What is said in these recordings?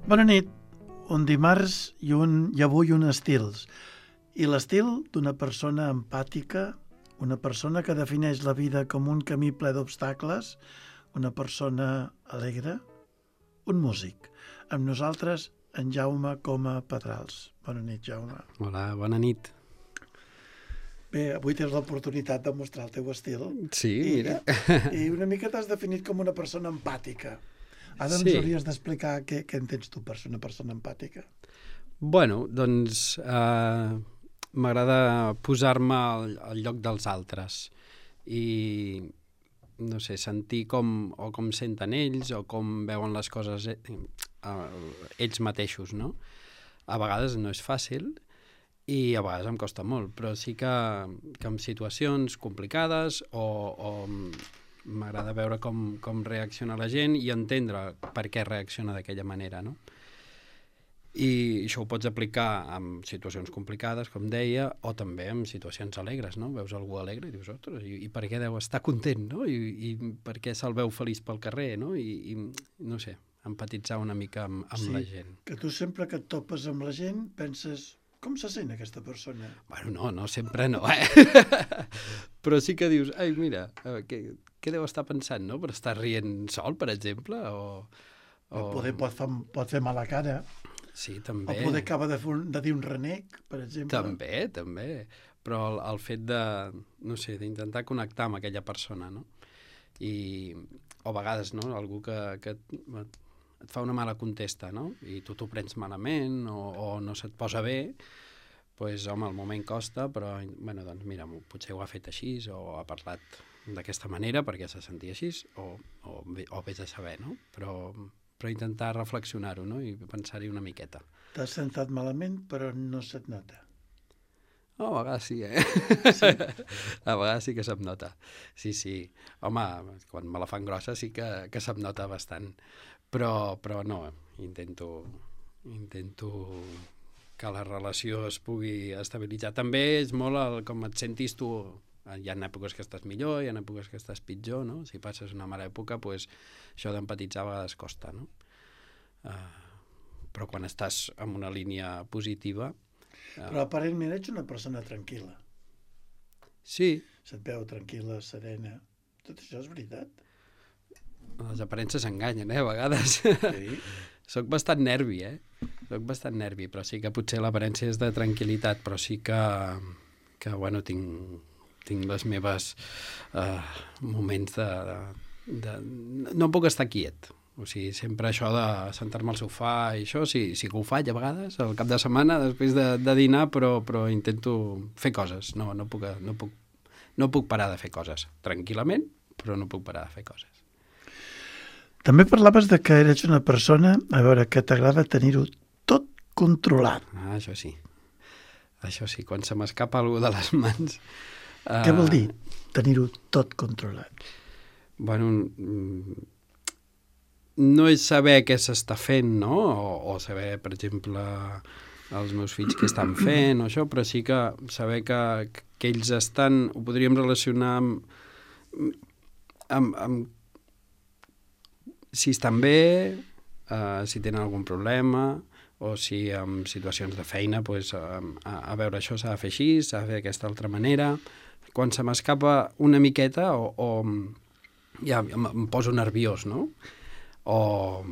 Bona nit. Un dimarts i avui un estils. I l'estil d'una persona empàtica, una persona que defineix la vida com un camí ple d'obstacles, una persona alegre, un músic. Amb nosaltres, en Jaume Coma Pedrals. Bona nit, Jaume. Hola, bona nit. Bé, avui tens l'oportunitat de mostrar el teu estil. Sí, mira. I una mica t'has definit com una persona empàtica. Ara ens hauries d'explicar què entens tu per ser una persona empàtica. Bueno, doncs m'agrada posar-me al lloc dels altres i, no sé, sentir com senten ells o com veuen les coses ells mateixos, no? A vegades no és fàcil i a vegades em costa molt, però sí que en situacions complicades o m'agrada veure com reacciona la gent i entendre per què reacciona d'aquella manera, no? I això ho pots aplicar en situacions complicades, com deia, o també en situacions alegres, no? Veus algú alegre i dius, ostres, i per què deu estar content, no? I per què se'l veu feliç pel carrer, no? I no sé, empatitzar una mica amb la gent. Que tu sempre que et topes amb la gent penses, com se sent aquesta persona? Bueno, no sempre no, Però sí que dius, ai, mira, què deu estar pensant, no? Per estar rient sol, per exemple, Poder pot fer mala cara. Sí, també. O poder acaba de dir un renec, per exemple. També. Però el fet de, no sé, d'intentar connectar amb aquella persona, no? O a vegades, no?, algú que et fa una mala contesta, no? I tu t'ho prens malament o no se't posa bé, doncs, home, al moment costa, però, bueno, doncs, mira, potser ho ha fet així o ha parlat d'aquesta manera perquè se sentia així o vés a saber, no? Però intentar reflexionar-ho, no? I pensar-hi una miqueta. T'has sentat malament, però no se't nota. A vegades sí, Sí? A vegades sí que se'm nota. Sí. Home, quan me la fan grossa sí que se'm nota bastant. Però no, intento que la relació es pugui estabilitzar. També és molt com et sentis tu. Hi ha èpoques que estàs millor, hi ha èpoques que estàs pitjor, no? Si passes una mala època, doncs això d'empatitzar a vegades costa, no? Però quan estàs en una línia positiva... Però aparentment ets una persona tranquil·la. Sí. Se't veu tranquil·la, serena. Tot això és veritat. Les aparences enganyen, a vegades. Sí. Soc bastant nervi, però sí que potser l'aparència és de tranquil·litat, però sí que bueno, tinc les meves moments de... No puc estar quiet. O sigui, sempre això de sentar-me al sofà i això, sí que ho faig a vegades, al cap de setmana, després de dinar, però intento fer coses. No puc parar de fer coses. Tranquil·lament, però no puc parar de fer coses. També parlaves de que eres una persona, a veure, que t'agrada tenir-ho tot controlat. Això sí, quan se m'escapa alguna de les mans... Què vol dir tenir-ho tot controlat? Bueno, no és saber què s'està fent, no? O saber, per exemple, els meus fills què estan fent o això, però sí que saber que ells estan... Ho podríem relacionar amb si estan bé, si tenen algun problema, o si en situacions de feina, doncs, a veure, això s'ha de fer així, s'ha de fer d'aquesta altra manera. Quan se m'escapa una miqueta ja em poso nerviós, no? O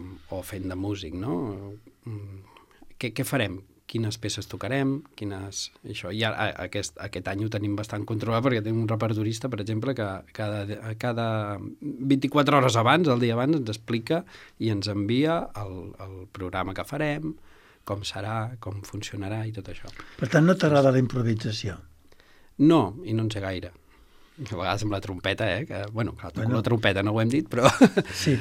fent de músic, no? Què farem? Quines peces tocarem? Això. I ara, aquest any ho tenim bastant controlat perquè tenim un repertorista, per exemple, que cada 24 hores abans, el dia abans, ens explica i ens envia el programa que farem, com serà, com funcionarà i tot això. Per tant, no t'agrada la improvisació? No, i no en sé gaire. A vegades amb la trompeta, que, bueno, clar, toco la trompeta, no ho hem dit, però... Sí,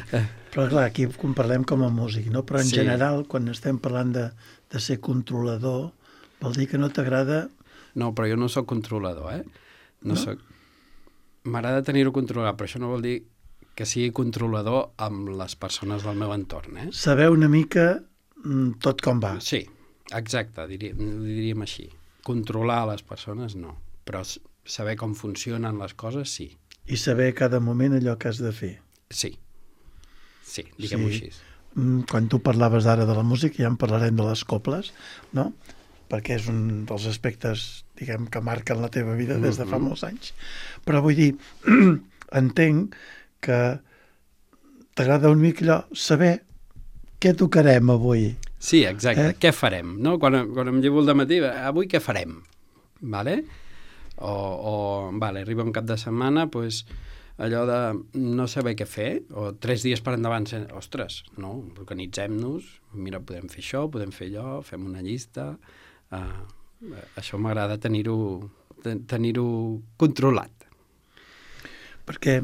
però clar, aquí quan parlem com a músic, no? Però en general, quan estem parlant de ser controlador, vol dir que no t'agrada... No, però jo no sóc controlador, No? M'agrada tenir-ho controlat, però això no vol dir que sigui controlador amb les persones del meu entorn, Saber una mica tot com va. Sí, exacte, diríem així. Controlar les persones, no. Però saber com funcionen les coses, sí. I saber cada moment allò que has de fer. Sí, diguem-ho així. quan tu parlaves ara de la música, ja en parlarem de les coples, no? Perquè és un dels aspectes, diguem, que marquen la teva vida des de fa molts anys. Però vull dir, entenc que t'agrada una mica allò, saber què tocarem avui. Sí, exacte. Què farem? No? Quan em llevo al matí, avui què farem? Vale? Vale, arriba un cap de setmana, doncs, allò de no saber què fer, o 3 dies per endavant, ostres, no, organitzem-nos, mira, podem fer això, podem fer allò, fem una llista, això m'agrada tenir-ho controlat. Perquè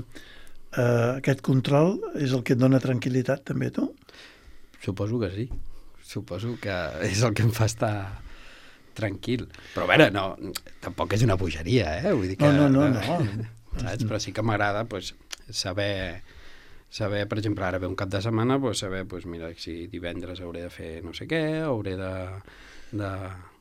aquest control és el que et dona tranquil·litat també, tu? Suposo que sí. Suposo que és el que em fa estar tranquil. Però a veure, no, tampoc és una bogeria, Vull dir que, no. Saps? Però sí que m'agrada saber, per exemple, ara ve un cap de setmana, saber, mira, si divendres hauré de fer no sé què, hauré de...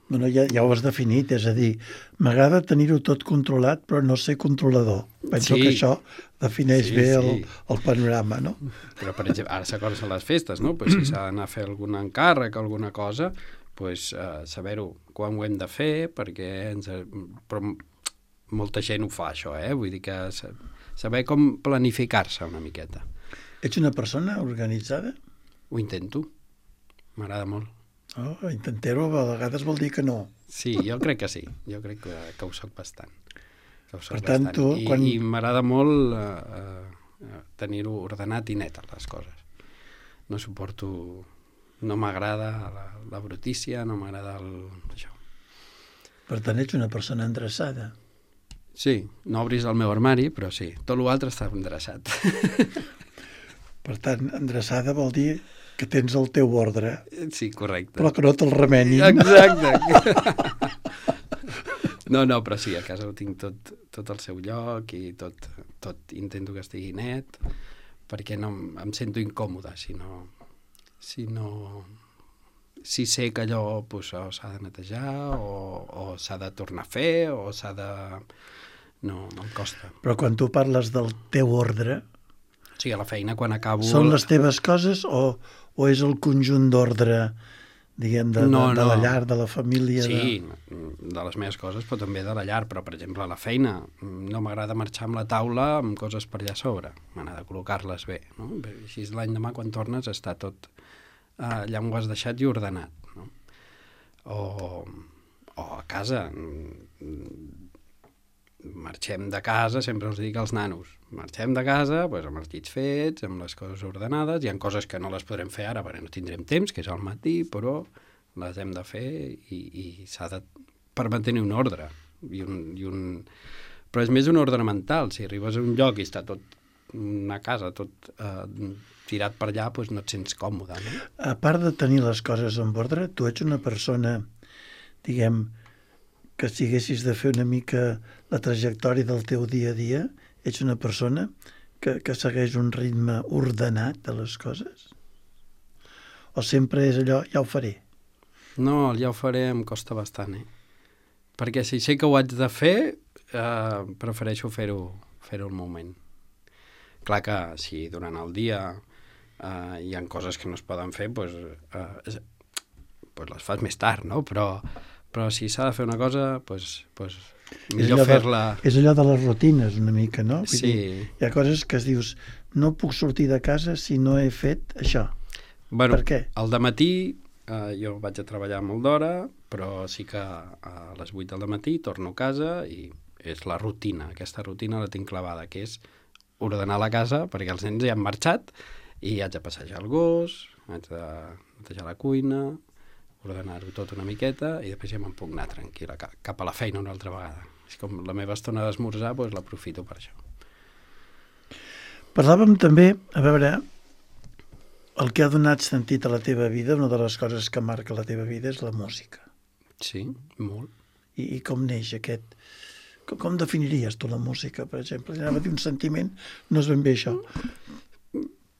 Bueno, ja ho has definit, és a dir, m'agrada tenir-ho tot controlat, però no ser controlador. Penso que això defineix bé el panorama, no? Però, per exemple, ara s'acorda les festes, no? Si s'ha d'anar a fer algun encàrrec, alguna cosa, saber-ho quan ho hem de fer, perquè però molta gent ho fa, això, Vull dir que saber com planificar-se una miqueta. Ets una persona organitzada? Ho intento. M'agrada molt. Intentar-ho a vegades vol dir que no. Sí, jo crec que sí. Jo crec que ho soc bastant. Per tant, tu... I m'agrada molt tenir-ho ordenat i net, les coses. No suporto... No m'agrada la brutícia, no m'agrada això. Per tant, ets una persona endreçada. Sí, no obris el meu armari, però sí, tot l'altre està endreçat. Per tant, endreçada vol dir que tens el teu ordre. Sí, correcte. Però que no te'l remenin. Exacte. No, però sí, a casa ho tinc tot al seu lloc i tot intento que estigui net, perquè no em sento incòmode si sé que allò s'ha de netejar o s'ha de tornar a fer o s'ha de... No, em costa. Però quan tu parles del teu ordre... Sí, a la feina, quan acabo... Són les teves coses o és el conjunt d'ordre, diguem, de la llar, de la família? Sí, de les meves coses, però també de la llar. Però, per exemple, a la feina no m'agrada marxar amb la taula amb coses per allà a sobre. M'agrada col·locar-les bé, no? Així l'any demà, quan tornes, està tot allà on ho has deixat i ordenat, no? O a casa... Marxem de casa, sempre us dic als nanos, marxem de casa amb els llits fets, amb les coses ordenades, hi ha coses que no les podrem fer ara perquè no tindrem temps, que és al matí, però les hem de fer i s'ha de... per mantenir un ordre. Però és més un ordre mental. Si arribes a un lloc i està tot, una casa, tot tirat per allà, no et sents còmode, no? A part de tenir les coses en ordre, tu ets una persona, diguem, que si haguessis de fer una mica la trajectòria del teu dia a dia, ets una persona que segueix un ritme ordenat de les coses? O sempre és allò, ja ho faré? No, el ja ho faré em costa bastant, Perquè si sé que ho haig de fer, prefereixo fer-ho al moment. Clar que si durant el dia hi ha coses que no es poden fer, les fas més tard, no? Però si s'ha de fer una cosa, millor fer-la... És allò de les rutines, una mica, no? Sí. Hi ha coses que es dius, no puc sortir de casa si no he fet això. Bueno, per què? Al dematí jo vaig a treballar molt d'hora, però sí que a les 8 del matí torno a casa i és la rutina. Aquesta rutina la tinc clavada, que és ordenar la casa, perquè els nens ja han marxat i haig de passejar el gos, haig de netejar la cuina, ordenar-ho tot una miqueta i després ja me'n puc anar tranquil·la cap a la feina una altra vegada. És com la meva estona d'esmorzar, l'aprofito per això. Parlàvem també, a veure, el que ha donat sentit a la teva vida, una de les coses que marca la teva vida és la música. Sí, molt. I com neix aquest... Com definiries tu la música, per exemple? Anava a dir un sentiment, no és ben bé això.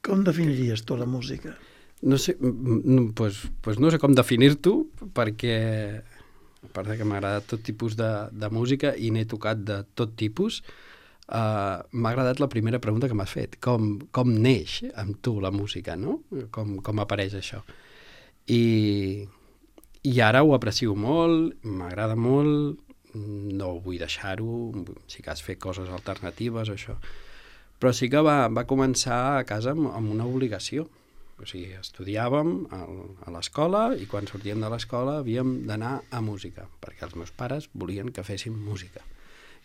Com definiries tu la música? No sé, no sé com definir-t'ho, perquè a part que m'agrada tot tipus de música i n'he tocat de tot tipus, m'ha agradat la primera pregunta que m'has fet. Com neix amb tu la música, no? Com apareix això. I ara ho aprecio molt, m'agrada molt, no vull deixar-ho, sí que has fet coses alternatives o això. Però sí que va començar a casa amb una obligació. O sigui, estudiàvem a l'escola i quan sortíem de l'escola havíem d'anar a música, perquè els meus pares volien que féssim música,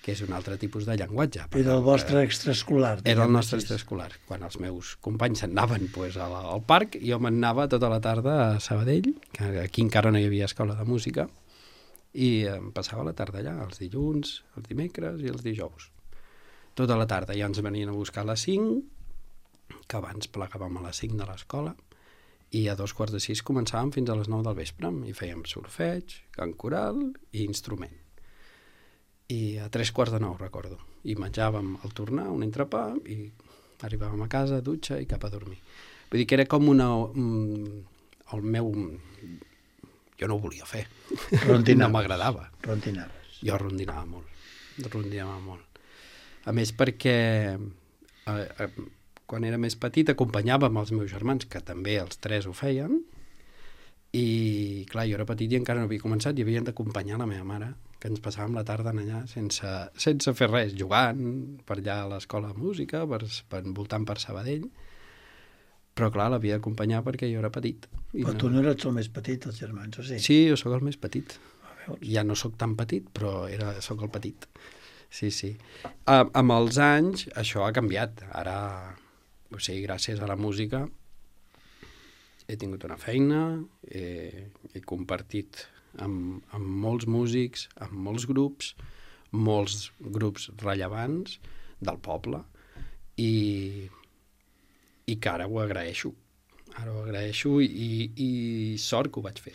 que és un altre tipus de llenguatge. Era el vostre extraescolar. Era el nostre extraescolar. Quan els meus companys se'n anaven al parc, jo me'n anava tota la tarda a Sabadell, que aquí encara no hi havia escola de música, i em passava la tarda allà, els dilluns, els dimecres i els dijous. Tota la tarda. Ja ens venien a buscar a les 5, que abans plegàvem a les 5 de l'escola, i a 5:15 començàvem fins a les 9 del vespre, i fèiem solfeig, cant coral i instrument. I a 3:45, recordo. I menjàvem al tornar un entrepà i arribàvem a casa, dutxa i cap a dormir. Vull dir que era com el meu... Jo no ho volia fer. No m'agradava. Rondinaves. Jo rondinava molt. A més perquè quan era més petit acompanyàvem els meus germans, que també els 3 ho feien, i clar, jo era petit i encara no havia començat i havien d'acompanyar la meva mare, que ens passàvem la tarda allà sense fer res, jugant per allà a l'escola de música, voltant per Sabadell, però clar, l'havia d'acompanyar perquè jo era petit. Però tu no eres el més petit, els germans, o sí? Sí, jo sóc el més petit. Ja no sóc tan petit, però sóc el petit. Sí. Amb els anys això ha canviat. Ara, o sigui, gràcies a la música he tingut una feina, he compartit amb molts músics, amb molts grups rellevants del poble, i que ara ho agraeixo. I sort que ho vaig fer.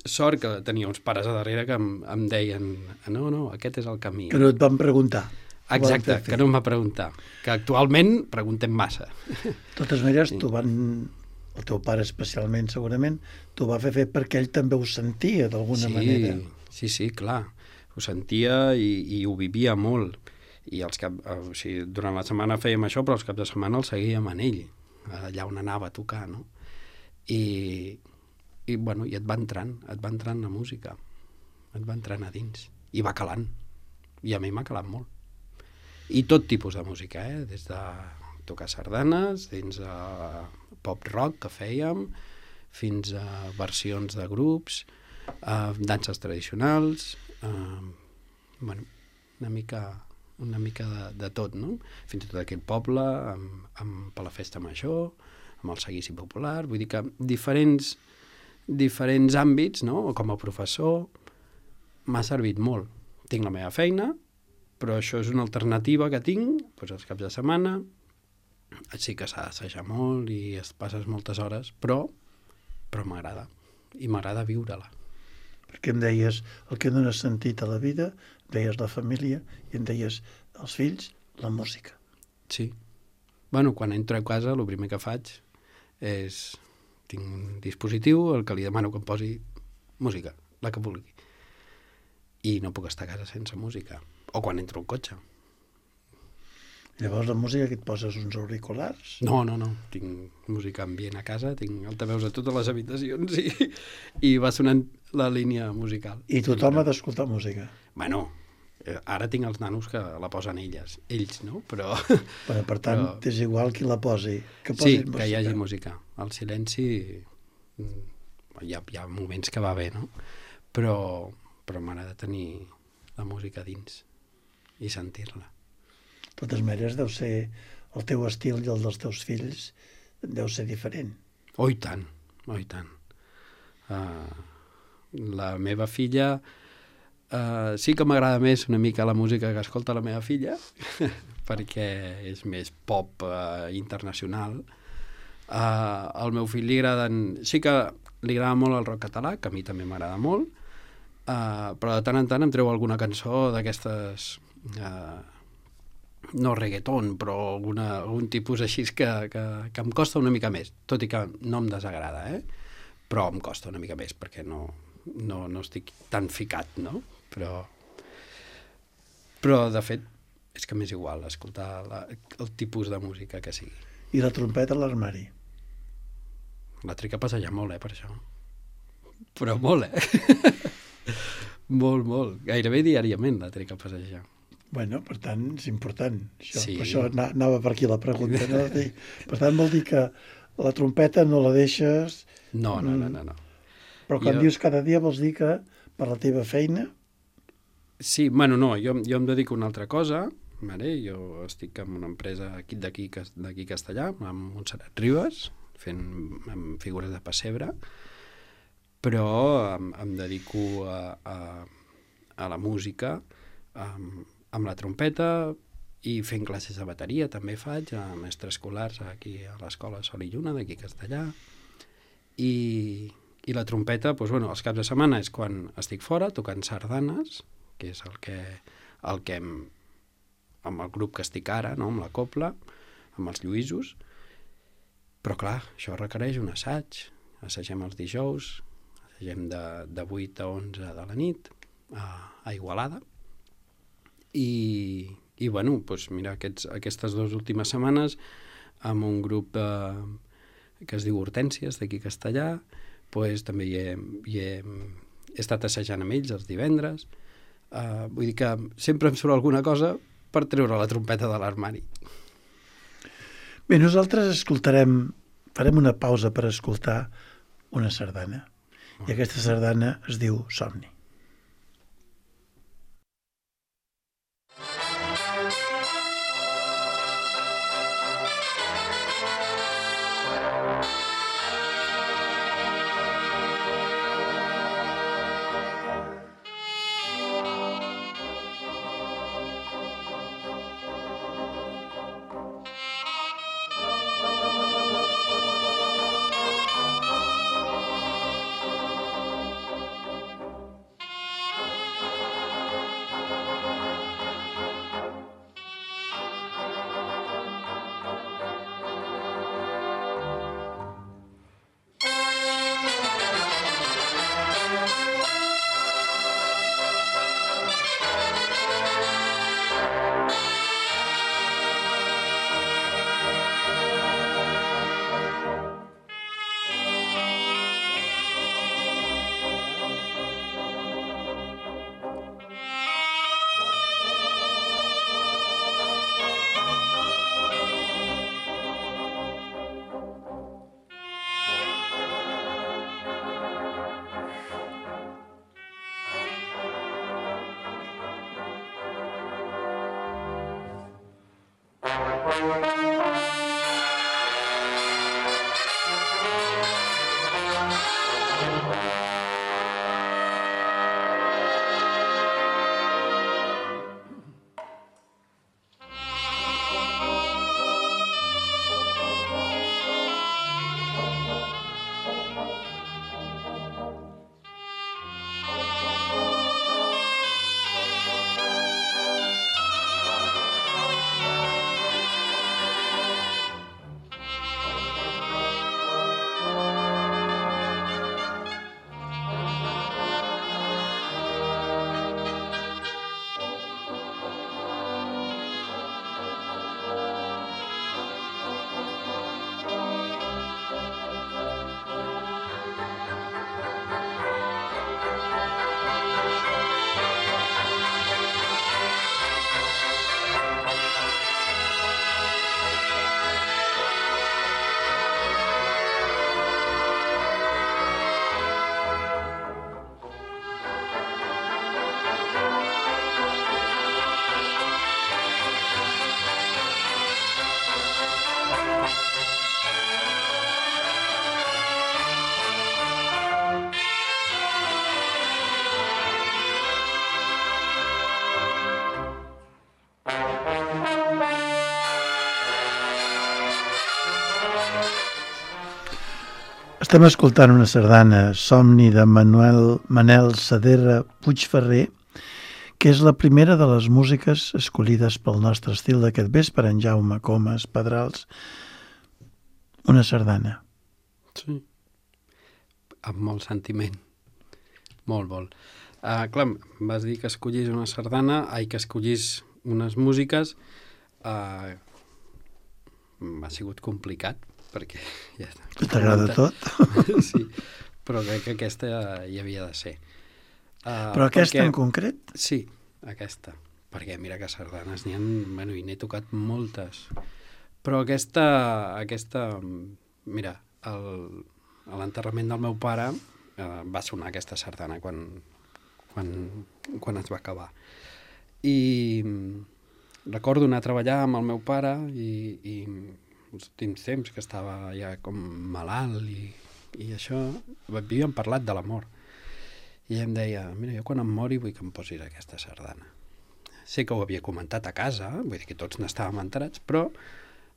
Sort que tenia uns pares a darrere que em deien no, aquest és el camí. Que no et van preguntar. Exacte, que no em va preguntar. Que actualment preguntem massa. De totes maneres, el teu pare especialment, segurament, t'ho va fer perquè ell també ho sentia, d'alguna manera. Sí, clar. Ho sentia i ho vivia molt. I durant la setmana fèiem això, però els caps de setmana el seguíem en ell, allà on anava a tocar, no? I et va entrant la música, et va entrant a dins, i va calant, i a mi m'ha calat molt. I tot tipus de música, des de tocar sardanes, dins de pop-rock que fèiem, fins a versions de grups, danses tradicionals, una mica de tot, no? Fins i tot aquell poble, per la festa major, amb el seguici popular, vull dir que diferents àmbits, no? Com a professor, m'ha servit molt. Tinc la meva feina, però això és una alternativa que tinc, doncs els caps de setmana, sí que s'ha d'assajar molt i es passes moltes hores, però m'agrada, i m'agrada viure-la. Perquè em deies el que dona sentit a la vida, em deies la família, i em deies els fills, la música. Sí. Bueno, quan entro a casa, el primer que faig és... Tinc un dispositiu al que li demano que em posi música, la que vulgui. I no puc estar a casa sense música. O quan entro al cotxe. Llavors la música que et poses uns auriculars? No. Tinc música ambient a casa, tinc altaveus a totes les habitacions i va sonant la línia musical. I tothom ha d'escoltar música? Bueno, ara tinc els nanos que la posen ells, no? Però... Bueno, per tant, és igual qui la posi, que posin música. Sí, que hi hagi música. El silenci, hi ha moments que va bé, no? Però m'agrada tenir la música dins i sentir-la. De totes maneres, deu ser el teu estil i el dels teus fills deu ser diferent. Oh, i tant. La meva filla... sí que m'agrada més una mica la música que escolta la meva filla, perquè és més pop internacional. Al meu fill li agraden... Sí que li agrada molt el rock català, que a mi també m'agrada molt, però de tant en tant em treu alguna cançó d'aquestes... no reggaeton, però algun tipus així que em costa una mica més, tot i que no em desagrada, però em costa una mica més, perquè no estic tan ficat, no? Però de fet és que m'és igual escoltar el tipus de música que sigui. I la trompeta a l'armari? La tric a passejar molt, per això. Però molt, molt. Gairebé diàriament la tric a passejar. Bueno, per tant, és important. Això. Sí. Per això anava per aquí la pregunta. No? Per tant, vol dir que la trompeta no la deixes... No. Però quan dius cada dia vols dir que per la teva feina... Sí, bueno, no, jo em dedico a una altra cosa, vale? Jo estic en una empresa d'aquí Castellà, amb Montserrat Ribas, fent figures de pessebre, però em dedico a la música, amb la trompeta i fent classes de bateria també faig a mestres escolars aquí a l'escola Sol i Lluna d'aquí a Castellà i la trompeta doncs, bueno, els caps de setmana és quan estic fora tocant sardanes, que és el que amb el grup que estic ara, no? Amb la copla, amb els Lluïsos, però clar, això requereix un assaig. Assagem els dijous, assagem de 8 a 11 de la nit a Igualada. I bueno, doncs mira, aquestes 2 últimes setmanes amb un grup que es diu Hortències d'aquí a Castellà, doncs també hi he estat assajant amb ells els divendres. Vull dir que sempre em surt alguna cosa per treure la trompeta de l'armari. Bé, nosaltres farem una pausa per escoltar una sardana. I aquesta sardana es diu Somni. Estem escoltant una sardana, Somni, de Manel Saderra Puigferrer, que és la primera de les músiques escollides pel nostre estil d'aquest vespre, en Jaume Comas Pedrals. Una sardana. Sí. Amb molt sentiment. Molt. Clar, vas dir que escollís una sardana, que escollís unes músiques m'ha sigut complicat, perquè ja t'agrada tot? Sí, però crec que aquesta hi havia de ser. Però aquesta en concret? Sí, aquesta. Perquè mira que sardanes n'hi ha... Bueno, i n'he tocat moltes. Però aquesta mira, a l'enterrament del meu pare va sonar aquesta sardana quan es va acabar. I recordo anar a treballar amb el meu pare i els últims temps que estava ja com malalt i això, havíem parlat de la mort. I ell em deia, mira, jo quan em mori vull que em posis aquesta sardana. Sé que ho havia comentat a casa, vull dir que tots n'estàvem enterats, però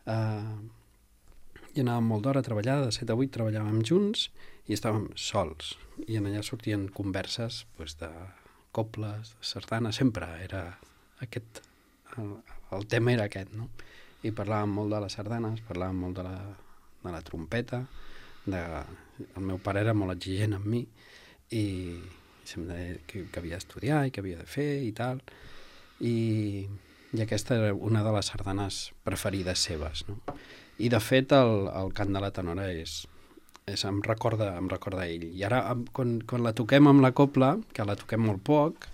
i anàvem molt d'hora a treballar, de 7 a 8 treballàvem junts i estàvem sols. I en allà sortien converses de coples, de sardanes, sempre era aquest... El tema era aquest, no? I parlàvem molt de les sardanes, parlàvem molt de la trompeta, el meu pare era molt exigent amb mi i se'm deia que havia d'estudiar i que havia de fer i tal, i aquesta era una de les sardanes preferides seves, no? I de fet el cant de la tenora em recorda a ell. I ara quan la toquem amb la copla, que la toquem molt poc,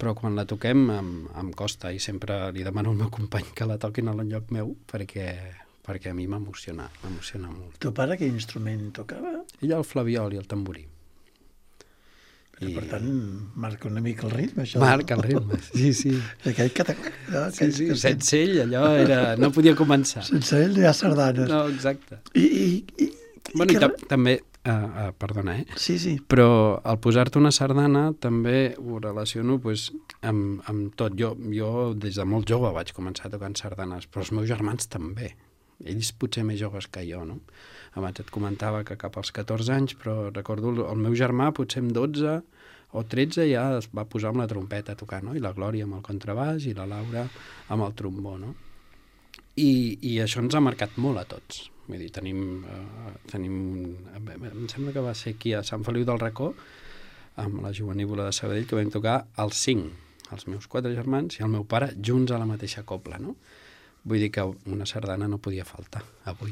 però quan la toquem em costa i sempre li demano al meu company que la toquin a l'enlloc meu perquè a mi m'emociona molt. Teu pare quin instrument tocava? Ell el flabiol i el tamborí. Per tant, marca una mica el ritme, això. Marca el ritme, sí. Aquell sí, sense ell allò no podia començar. Sense ell no hi ha sardanes. No, exacte. I també, perdona, Sí. però al posar-te una sardana també ho relaciono amb tot. Jo des de molt jove vaig començar tocant sardanes, però els meus germans també. Ells potser més joves que jo, no? Abans et comentava que cap als 14 anys, però recordo el meu germà potser amb 12 o 13 ja es va posar amb la trompeta a tocar, no? I la Glòria amb el contrabaix i la Laura amb el trombó, no? I això ens ha marcat molt a tots. Vull dir, tenim em sembla que va ser aquí a Sant Feliu del Racó, amb la Jovenívola de Sabadell, que vam tocar els 5, els meus 4 germans i el meu pare, junts a la mateixa copla, no? Vull dir que una sardana no podia faltar avui.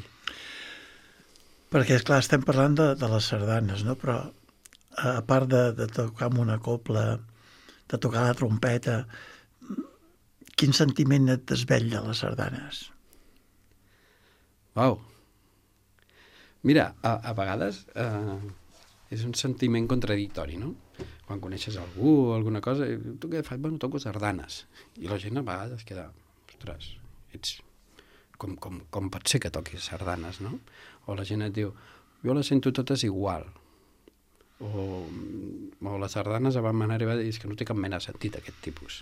Perquè, esclar, estem parlant de les sardanes, no? Però a part de tocar amb una copla, de tocar la trompeta, quin sentiment et desvetlla les sardanes? Uau! Mira, a vegades és un sentiment contradictori, no? Quan coneixes algú o alguna cosa, tu què fas? Bueno, toco sardanes. I la gent a vegades queda, ostres, com pot ser que toquis sardanes, no? O la gent et diu, jo les sento totes igual. O les sardanes a van manera de dir que no té cap mena de sentit aquest tipus.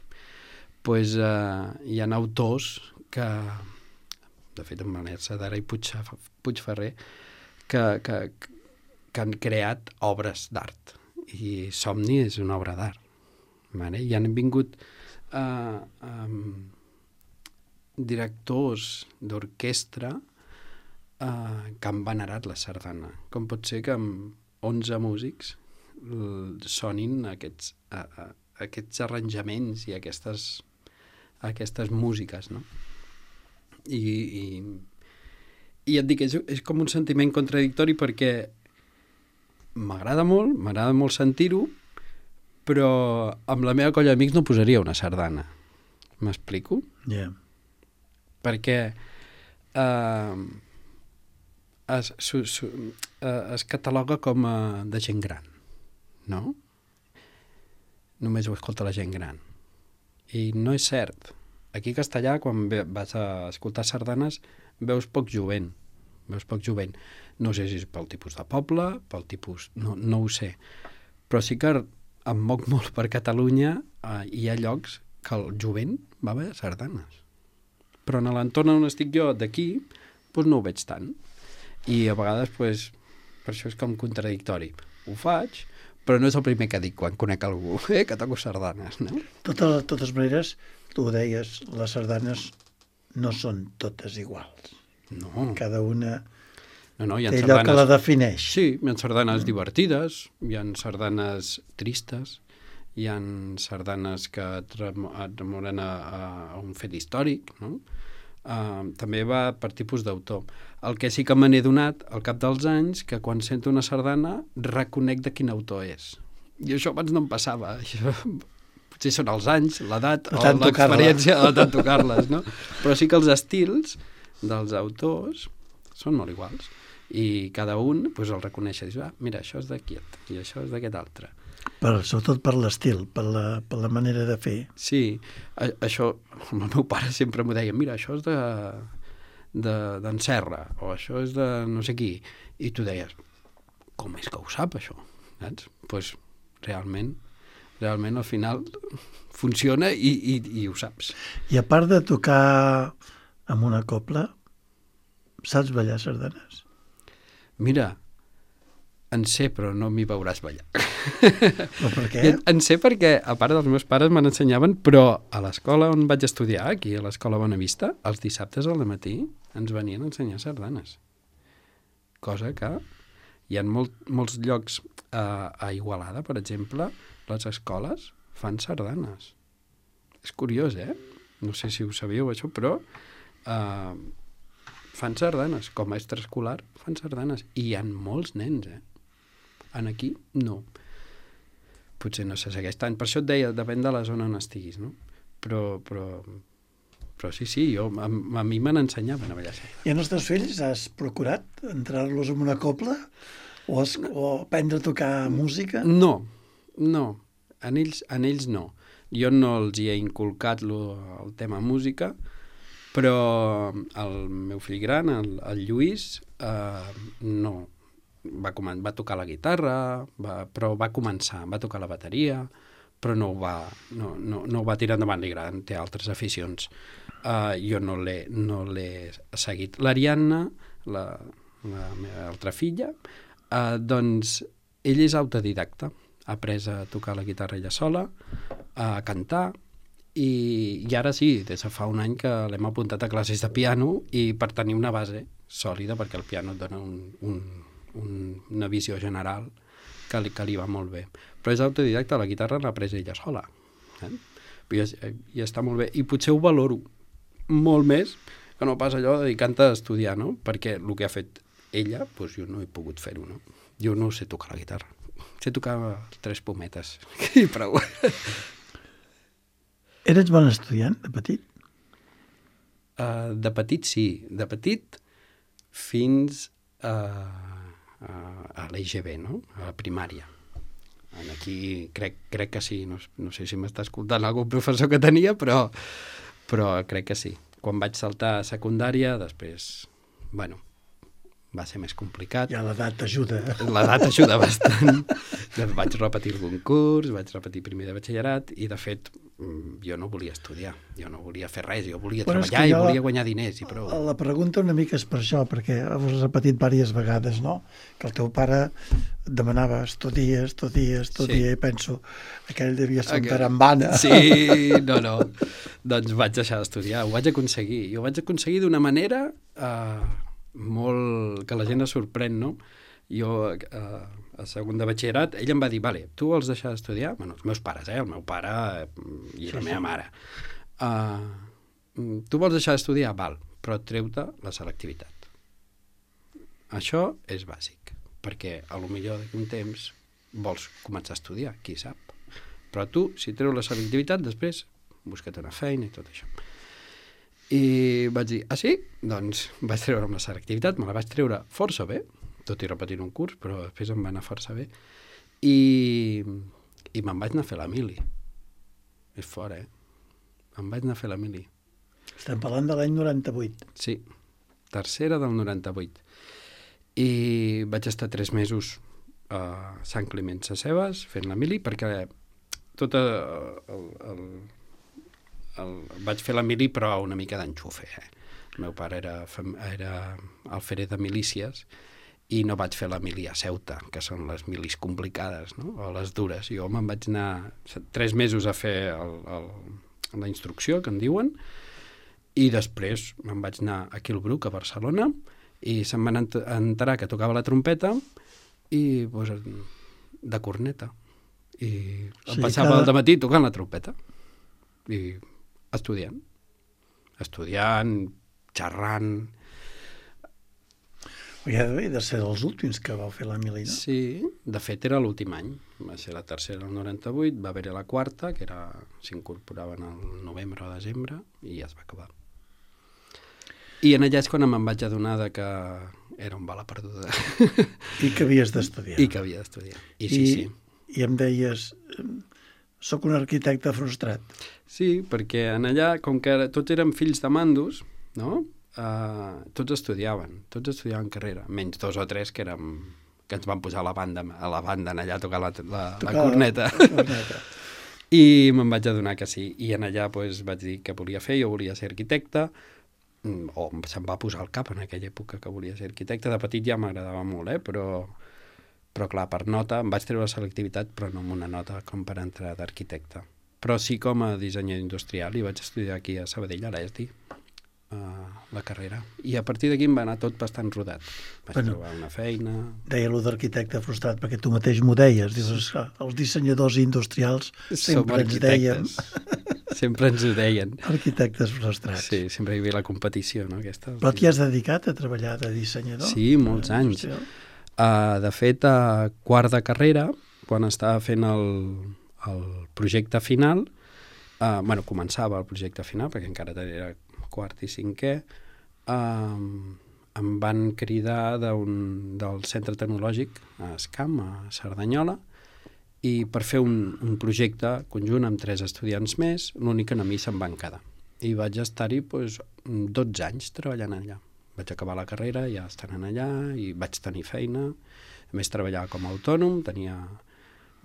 Doncs hi ha autors que, de fet en Manel Sadara i Puigferrer, que han creat obres d'art. I Somni és una obra d'art. I han vingut directors d'orquestra que han venerat la sardana. Com pot ser que amb 11 músics sonin aquests arranjaments i aquestes músiques, no? I et dic, és com un sentiment contradictori perquè m'agrada molt sentir-ho, però amb la meva colla d'amics no posaria una sardana. M'explico? Yeah. Perquè es cataloga com de gent gran, no? Només ho escolta la gent gran. I no és cert. Aquí a Castellà, quan vas a escoltar sardanes, veus poc jovent. No sé si és pel tipus de poble, pel tipus... No ho sé. Però sí que em moc molt per Catalunya, hi ha llocs que el jovent va a veure sardanes. Però en l'entorn on estic jo, d'aquí, no ho veig tant. I a vegades, per això és com contradictori. Ho faig, però no és el primer que dic quan conec algú, que toco sardanes, no? De totes maneres, tu ho deies, les sardanes no són totes iguals. No. Cada una té allò que la defineix. Sí, hi ha sardanes divertides, hi ha sardanes tristes, hi ha sardanes que et remoren a un fet històric, no? També va per tipus d'autor. El que sí que me n'he donat al cap dels anys, que quan sento una sardana reconec de quin autor és. I això abans no em passava. Això, potser són els anys, l'edat o l'experiència de tant tocar-les, no? Però sí que els estils dels autors són molt iguals. I cada un doncs, el reconeix i dius, mira, això és d'aquest i això és d'aquest altre. Sobretot per l'estil, per la manera de fer. Sí, això, el meu pare sempre m'ho deia, mira, això és d'en Serra, o això és de no sé qui. I tu deies, com és que ho sap, això? Saps? Doncs realment al final funciona i ho saps. I a part de tocar amb una cobla, saps ballar sardanes? Mira, en sé, però no m'hi veuràs ballar. Però per què? En sé perquè, a part dels meus pares me n'ensenyaven, però a l'escola on vaig estudiar, aquí a l'escola Bonavista, els dissabtes al matí ens venien a ensenyar sardanes. Cosa que hi ha molts llocs a Igualada, per exemple, les escoles fan sardanes. És curiós, No sé si ho sabíeu, això, però fan sardanes. Com a extraescolar fan sardanes. I hi ha molts nens, En aquí, no. Potser no se segueix tant. Per això et deia, depèn de la zona on estiguis, no? Però sí, a mi me n'ensenyaven a ballar. I en els teus fills has procurat entrar-los en una cobla? O aprendre a tocar música? No. En ells no. Jo no els hi he inculcat el tema música, però el meu fill gran, el Lluís, no. Va tocar la guitarra, però va començar, va tocar la bateria, però no ho va tirar endavant, li agraden, té altres aficions. Jo no l'he seguit. L'Ariadna, la meva altra filla, doncs ell és autodidacta, ha après a tocar la guitarra ella sola, a cantar, i ara sí, des de fa un any que l'hem apuntat a classes de piano i per tenir una base sòlida, perquè el piano et dona una visió general que li va molt bé. Però és autodidacta, la guitarra l'ha après ella sola. I està molt bé. I potser ho valoro molt més que no pas allò de dedicar-te a estudiar, no? Perquè el que ha fet ella, doncs jo no he pogut fer-ho, no? Jo no sé tocar la guitarra. Sé tocar 3 pometes. I prou. Eres bon estudiant, de petit? De petit, sí. De petit fins a l'EGB, no? A la primària. Aquí crec que sí. No sé si m'està escoltant algun professor que tenia, però crec que sí. Quan vaig saltar a secundària, després, va ser més complicat. Ja l'edat ajuda. L'edat ajuda bastant. Vaig repetir algun curs, vaig repetir primer de batxillerat i, de fet, jo no volia estudiar, jo no volia fer res, jo volia treballar i volia guanyar diners i prou. La pregunta una mica és per això, perquè ho has repetit diverses vegades, no? Que el teu pare demanava estudia, i penso, aquell devia ser un tarambana. Sí, no. Doncs vaig deixar d'estudiar, ho vaig aconseguir. I ho vaig aconseguir d'una manera molt... que la gent es sorprèn, no? Jo, a segon de batxillerat, ell em va dir, vale, tu vols deixar d'estudiar? Bueno, els meus pares, el meu pare i la meva mare. Tu vols deixar d'estudiar? Val, però treu-te la selectivitat. Això és bàsic, perquè a lo millor d'aquí un temps vols començar a estudiar, qui sap. Però tu, si treu la selectivitat, després busca't una feina i tot això. I vaig dir, sí? Doncs vaig treure amb la selectivitat, me la vaig treure força bé, tot i repetint un curs, però després em va anar força bé. I me'n vaig anar a fer la mili. És fort, Em vaig anar a fer la mili. Estem parlant de l'any 98. Sí, tercera del 98. I vaig estar 3 mesos a Sant Climent Sescebes fent la mili, perquè tot vaig fer la mili però una mica d'enxufe. El meu pare era alferer de milícies i no vaig fer la mili a Ceuta, que són les milis complicades, no? O les dures. Jo me'n vaig anar 3 mesos a fer la instrucció, que en diuen, i després me'n vaig anar a Quilbruc, a Barcelona, i se'm van enterar que tocava la trompeta i doncs, de corneta. I em passava el dematí tocant la trompeta i estudiant, xerrant. Ja de ser dels últims que vau fer la mili, no? Sí, de fet era l'últim any. Va ser la tercera el 98, va haver-hi la quarta, que s'incorporaven al novembre o desembre, i ja es va acabar. I en allà és quan me'n vaig adonar que era un bala perduda. I que havies d'estudiar. I sí. I em deies, soc un arquitecte frustrat. Sí, perquè en allà, com que tots érem fills de mandos, no? Tots estudiaven carrera, menys 2 o 3 que ens van posar a la banda en allà a tocar la corneta. I me'n vaig adonar que sí. I en allà vaig dir que volia fer, jo volia ser arquitecte, o se'm va posar al cap en aquella època que volia ser arquitecte. De petit ja m'agradava molt, però clar, per nota, em vaig treure la selectivitat, però no amb una nota com per entrar d'arquitecte. Però sí com a dissenyador industrial, i vaig estudiar aquí a Sabadell, a l'ESDI, la carrera. I a partir d'aquí em va anar tot bastant rodat. Vaig trobar una feina... Deia allò d'arquitecte frustrat, perquè tu mateix m'ho deies. Dius, els dissenyadors industrials sempre ens deien... Sempre ens ho deien. Arquitectes frustrats. Sí, sempre hi havia la competició, no? Però t'hi has dedicat a treballar de dissenyador? Sí, molts anys. De fet, a quart de carrera, quan estava fent el projecte final, començava el projecte final, perquè encara era quart i cinquè, em van cridar del centre tecnològic a Escam, a Cerdanyola, i per fer un projecte conjunt amb 3 estudiants més, l'únic que a mi se'm van quedar. I vaig estar-hi 12 anys treballant allà. Vaig acabar la carrera ja estant allà i vaig tenir feina. A més, treballava com a autònom, tenia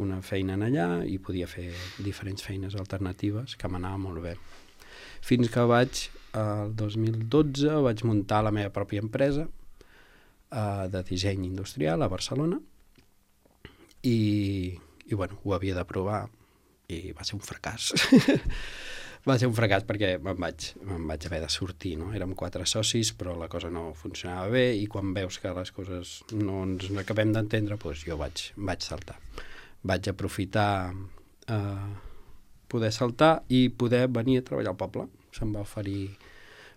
una feina allà i podia fer diferents feines alternatives, que m'anava molt bé. Fins que el 2012, vaig muntar la meva pròpia empresa de disseny industrial a Barcelona i ho havia de provar i va ser un fracàs. Va ser un fracàs perquè me'n vaig haver de sortir, no? Érem 4 socis, però la cosa no funcionava bé i quan veus que les coses no ens acabem d'entendre, jo vaig saltar. Vaig aprofitar poder saltar i poder venir a treballar al poble. Se'm va oferir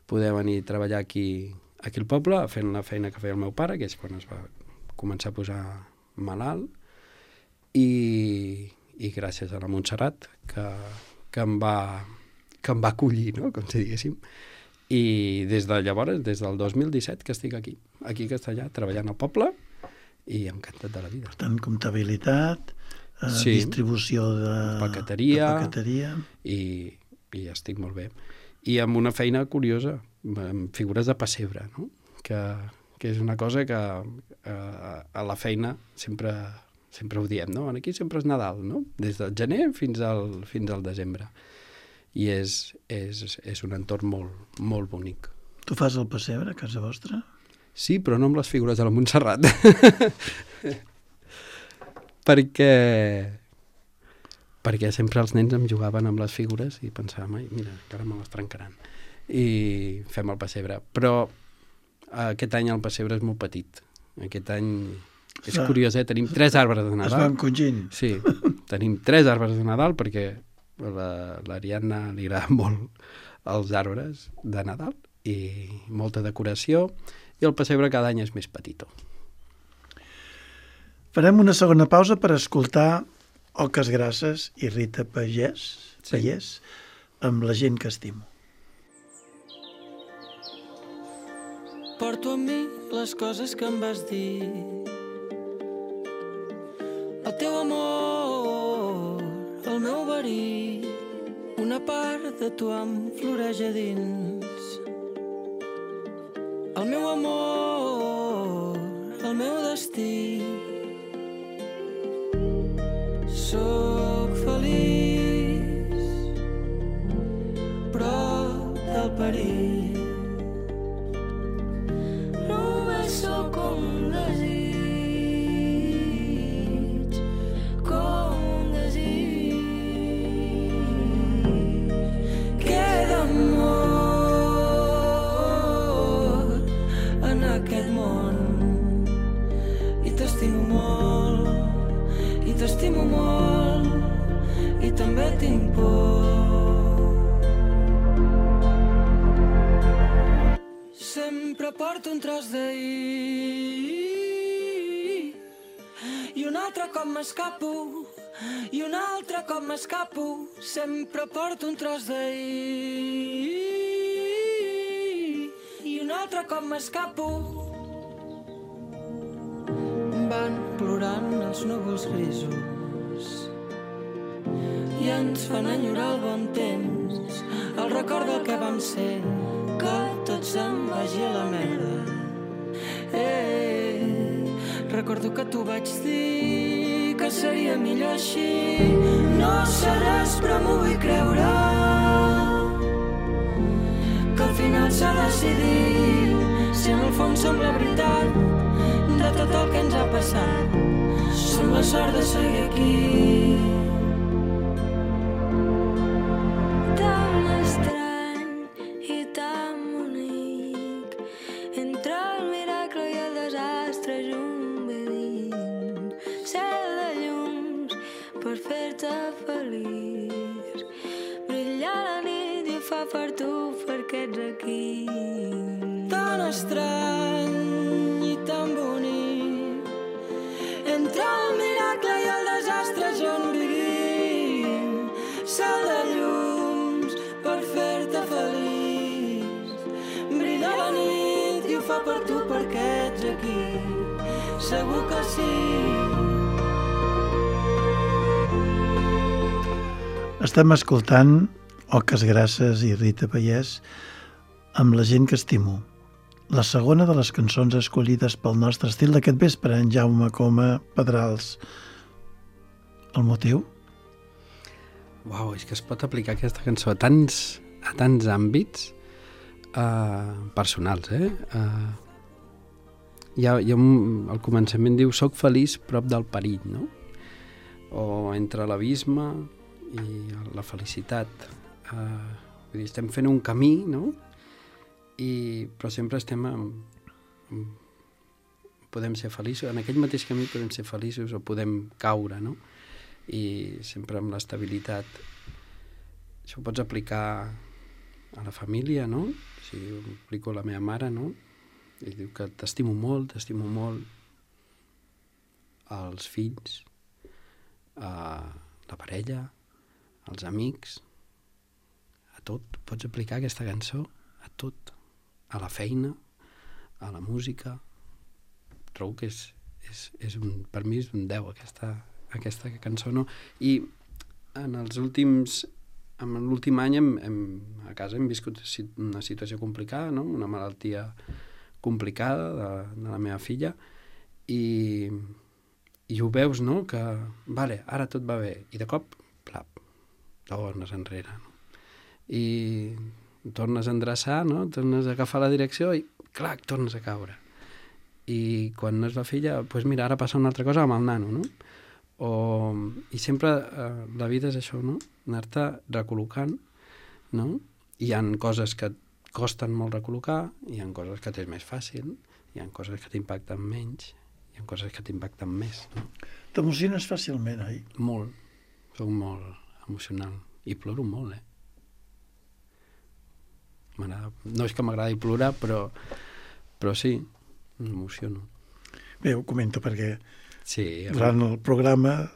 poder venir a treballar aquí al poble, fent la feina que feia el meu pare, que és quan es va començar a posar malalt, i gràcies a la Montserrat, que em va acollir, no? Com si diguéssim. I des de llavors, des del 2017, que estic aquí a Castellà, treballant al poble, i encantat de la vida. Per tant, comptabilitat, distribució de paqueteria. I estic molt bé. I amb una feina curiosa, amb figures de pessebre, no? Que és una cosa que a la feina sempre ho diem, no? Aquí sempre és Nadal, no? Des del gener fins al desembre. I és un entorn molt, molt bonic. Tu fas el pessebre a casa vostra? Sí, però no amb les figures de la Montserrat. perquè sempre els nens em jugaven amb les figures i pensàvem, mira, encara me les trencaran. I fem el pessebre. Però aquest any el pessebre és molt petit. Aquest any és curiós, tenim 3 arbres de Nadal. Es van congint. Sí, tenim 3 arbres de Nadal perquè l'Ariadna li agraden molt els arbres de Nadal i molta decoració, i el pessebre cada any és més petitó. Farem una segona pausa per escoltar Oques Grasses i Rita Pagès amb La gent que estimo. Porto amb mi les coses que em vas dir, el teu amor, el meu verí, una part de tu em floreix a dins. El meu amor, el meu destí. Sóc feliç prop del perill. Només sóc un desig, com un desig. Queda amor en aquest món i t'estimo molt, i t'estimo molt. porto un tros d'ahir i un altre cop m'escapo i un altre cop m'escapo, sempre porto un tros d'ahir i un altre cop m'escapo. Van plorant els núvols grisos i ens fan enyorar el bon temps, el record del que vam ser, que tot se'n vagi a la merda. Recordo que t'ho vaig dir, que seria millor així. No sé res, però m'ho vull creure, que al final s'ha decidit, si en el fons som la veritat de tot el que ens ha passat, som la sort de seguir aquí. Tan estrany i tan bonic, entre el miracle i el desastre junt vivint, cel de llums per fer-te feliç, brillar la nit i ho fa per tu perquè ets aquí. Tan estrany i tan bonic, entre el miracle i el desastre junt vivim, cel de llums per fer-te feliç, brilla la nit i ho fa per tu perquè ets aquí, segur que sí. Estem escoltant Oques Grasses i Rita Pallès amb La gent que estimo, la segona de les cançons escollides pel nostre estil d'aquest vespre, en Jaume Coma Pedrals. El motiu? Uau, és que es pot aplicar aquesta cançó a tants àmbits personals, al començament diu «Soc feliç prop del perill», no? O entre l'abisme i la felicitat. Vull dir, estem fent un camí, no? Però sempre estem podem ser feliços, en aquell mateix camí podem ser feliços o podem caure, no? I sempre amb l'estabilitat. Això ho pots aplicar a la família, no? Si ho aplico a la meva mare, no? I diu que t'estimo molt, als fills, a la parella, als amics, a tot. Pots aplicar aquesta cançó a tot, a la feina, a la música. Trobo que per mi és un 10 aquesta cançó, no? I en l'últim any a casa hem viscut una situació complicada, no? Una malaltia complicada de la meva filla i ho veus, no? Que, vale, ara tot va bé. I de cop, plap, tornes enrere, no? I tornes a endreçar, no? Tornes a agafar la direcció i, clac, tornes a caure. I quan no és la filla, doncs mira, ara passa una altra cosa amb el nano, no? I sempre la vida és això, no? Anar-te recol·locant, no? Hi ha coses que et costen molt recol·locar, hi ha coses que t'és més fàcil, hi ha coses que t'impacten menys, hi ha coses que t'impacten més, no? T'emociones fàcilment, oi? Molt. Soc molt emocional. I ploro molt, No és que m'agradi plorar, però sí, m'emociono. Bé, ho comento perquè sí, durant el programa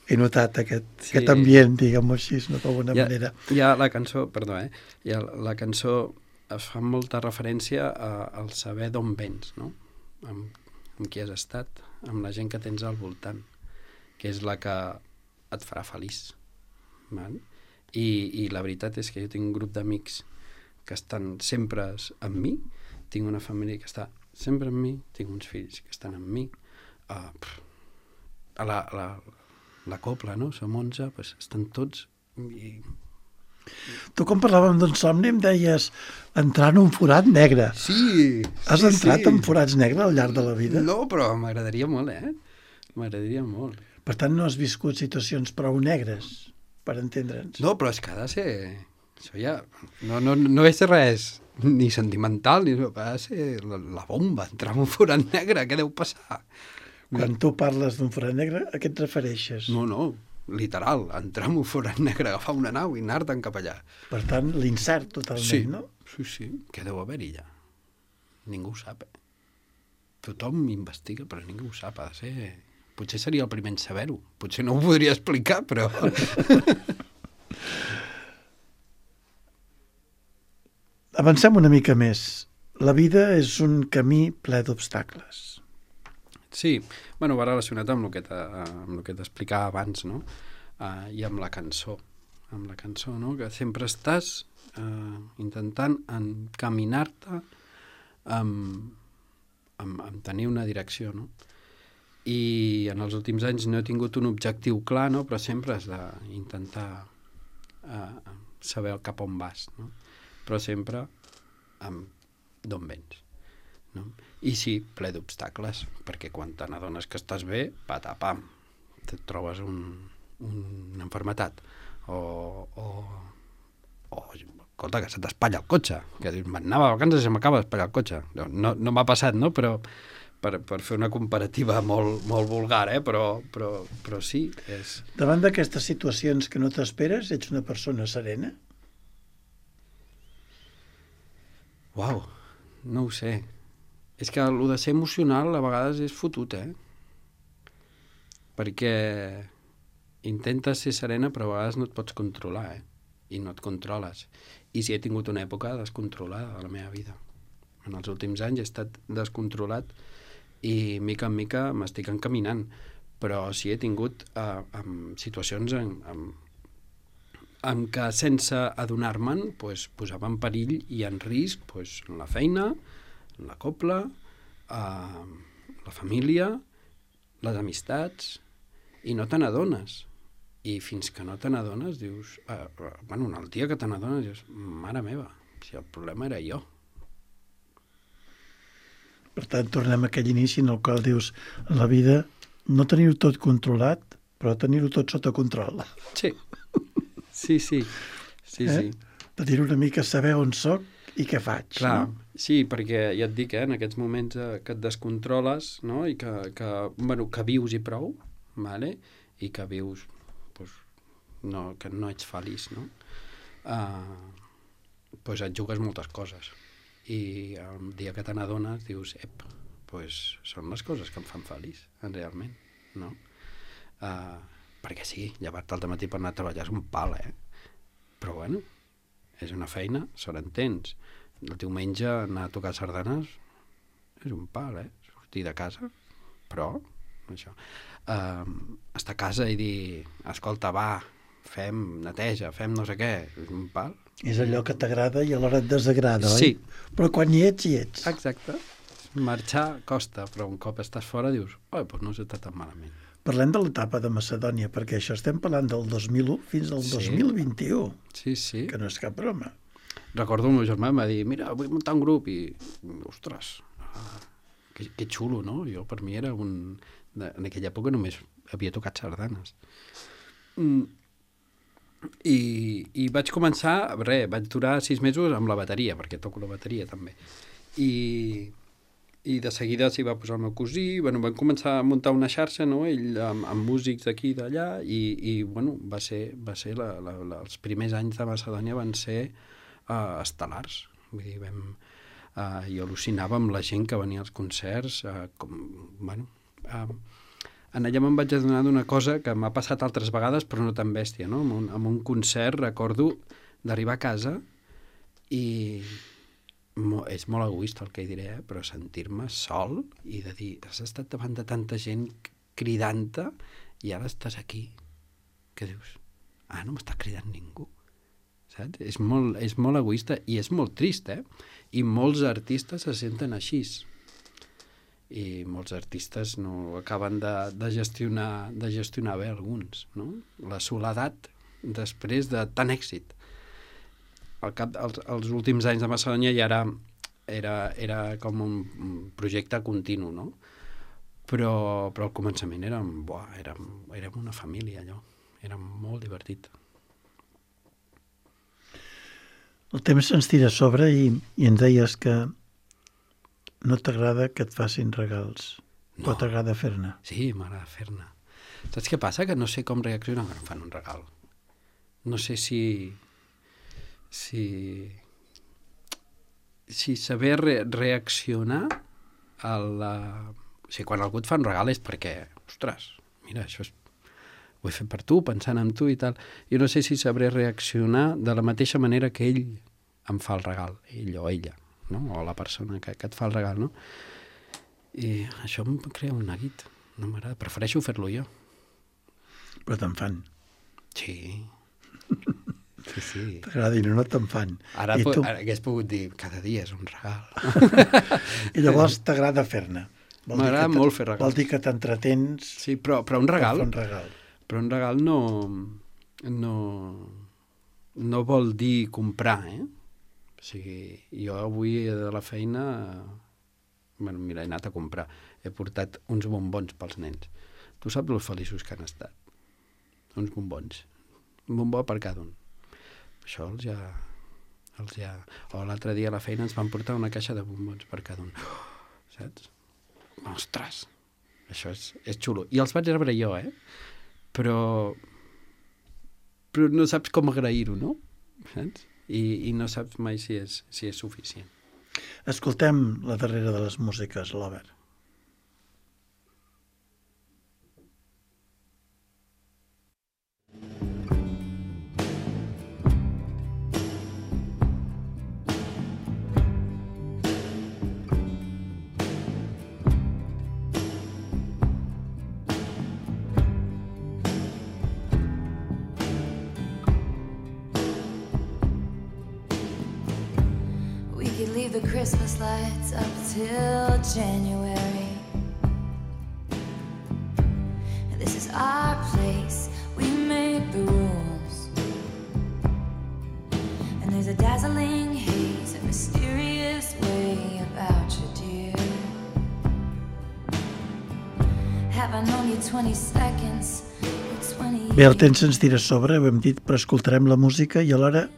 he notat aquest ambient, diguem-ho així, d'alguna manera. Ja la cançó, perdó, la cançó es fa molta referència al saber d'on vens, no? Amb qui has estat, amb la gent que tens al voltant, que és la que et farà feliç. Val? I la veritat és que jo tinc un grup d'amics que estan sempre amb mi, tinc una família que està sempre amb mi, tinc uns fills que estan amb mi, a la copla, no? Som 11, doncs estan tots i... Tu, quan parlàvem d'un somni, em deies entrar en un forat negre. Sí! Has entrat en forats negres al llarg de la vida? No, però m'agradaria molt, M'agradaria molt. Per tant, no has viscut situacions prou negres, per entendre'ns. No, però és que ha de ser... Això ja... No és res ni sentimental, ni... Ha de ser la bomba, entrar en un forat negre, què deu passar? Quan tu parles d'un forat negre, a què et refereixes? No, literal, entrar en un forat negre, agafar una nau i anar-te'n cap allà. Per tant, l'incert totalment, sí, no? Sí, què deu haver-hi allà? ningú ho sap. Tothom investiga, però ningú ho sap. Ha de ser... Potser seria el primer en saber-ho. Potser no ho podria explicar, però... Avancem una mica més. La vida és un camí ple d'obstacles. Sí, bueno, va relacionat amb el que t'explicava abans, no? I amb la cançó. Amb la cançó, no? Que sempre estàs intentant encaminar-te amb tenir una direcció, no? I en els últims anys no he tingut un objectiu clar, no? Però sempre has d'intentar saber cap on vas, no? Però sempre d'on vens, no? I sí, ple d'obstacles, perquè quan te n'adones que estàs bé, patapam, et trobes una malaltia o escolta, que se t'espatlla el cotxe, que dius, m'anava a vacances i se m'acaba d'espatllar el cotxe. No m'ha passat, no? Però per fer una comparativa molt, molt vulgar, però sí. Davant d'aquestes situacions que no t'esperes, ets una persona serena? Uau, no ho sé. És que el de ser emocional a vegades és fotut, Perquè intentes ser serena però a vegades no et pots controlar, I no et controles. I sí he tingut una època descontrolada a la meva vida. En els últims anys he estat descontrolat i mica en mica m'estic encaminant. Però sí he tingut situacions en què sense adonar-me'n posava en perill i en risc la feina, la copla, la família, les amistats, i no te n'adones. I fins que no te n'adones dius... el dia que te n'adones dius, mare meva, si el problema era jo. Per tant, tornem a aquell inici en el qual dius, en la vida no tenir-ho tot controlat, però tenir-ho tot sota control. Sí. Sí. Tenir una mica saber on soc i què faig. Clar, no? Sí, perquè ja et dic, en aquests moments que et descontroles, no? I que vius i prou, vale? I que vius, que no ets feliç, no? Et jugues moltes coses. I el dia que te n'adones dius, són les coses que em fan feliç, realment, no? Perquè sí, llevar-te al matí per anar a treballar és un pal, Però bueno, és una feina, sort en tens. El diumenge anar a tocar sardanes és un pal, Sortir de casa, però això. Estar a casa i dir, escolta, va, fem neteja, fem no sé què, és un pal. És allò que t'agrada i alhora et desagrada, sí. Oi? Però quan hi ets. Exacte. Marxar costa, però un cop estàs fora dius, no s'està tan malament. Parlem de l'etapa de Macedònia, perquè això estem parlant del 2001 fins al 2021. Sí. Que no és cap broma. Recordo el meu germà em va dir, mira, vull muntar un grup, i, ostres, que xulo, no? Jo, per mi era en aquella època només havia tocat sardanes. I vaig començar, vaig durar 6 mesos amb la bateria, perquè toco la bateria també. I de seguida s'hi va posar el meu cosí, van començar a muntar una xarxa, no? Ell amb músics d'aquí i d'allà, i va ser els primers anys de Macedònia van ser estel·lars. Vull dir, jo al·lucinava amb la gent que venia als concerts, en allà me'n vaig adonar d'una cosa que m'ha passat altres vegades, però no tan bèstia, no? En un concert recordo d'arribar a casa i és molt egoista el que diré, però sentir-me sol i de dir, has estat davant de tanta gent cridant-te i ara estàs aquí, que dius, no m'està cridant ningú, saps? És molt egoista i és molt trist, I molts artistes se senten així i molts artistes no acaben de gestionar bé alguns, no? La soledat després de tant èxit. Els últims anys de Macedònia ja era com un projecte continu, no? Però al començament érem una família, allò. Era molt divertit. El temps se'ns tira a sobre i ens deies que no t'agrada que et facin regals, però t'agrada fer-ne. Sí, m'agrada fer-ne. Saps què passa? Que no sé com reaccionar quan em fan un regal. No sé si sí, saber reaccionar a la... O sigui, quan algú et fa un regal és perquè, ostres, mira, això ho he fet per tu, pensant en tu i tal. Jo no sé si sabré reaccionar de la mateixa manera que ell em fa el regal, ell o ella, no? O la persona que et fa el regal, no? I això em crea un neguit. No m'agrada, prefereixo fer-lo jo. Però te'n fan. Sí. Sí. T'agrada no te'n fan. Ara hagués pogut dir, cada dia és un regal. I llavors t'agrada fer-ne. M'agrada molt fer regals. Vol dir que t'entretens... Sí, però un regal... Per fer un regal. Però un regal no vol dir comprar, eh? O sigui, jo avui de la feina... Bueno, mira, he anat a comprar. He portat uns bombons pels nens. Tu saps els feliços que han estat? Uns bombons. Un bombó per cada un. Això els ja... O l'altre dia a la feina ens van portar una caixa de bombons per cada un. Saps? Ostres! Això és xulo. I els vaig rebre jo, eh? Però no saps com agrair-ho, no? Saps? I no saps mai si és suficient. Escoltem la darrera de les músiques, l'Obert. Leave the Christmas lights up till January. This is our place, we make the rules. And there's a dazzling haze, a mysterious way about you, dear. Have I known you 20 seconds or 20 Bé, el temps ens tira a sobre, ho hem dit, però escoltarem la música i alhora...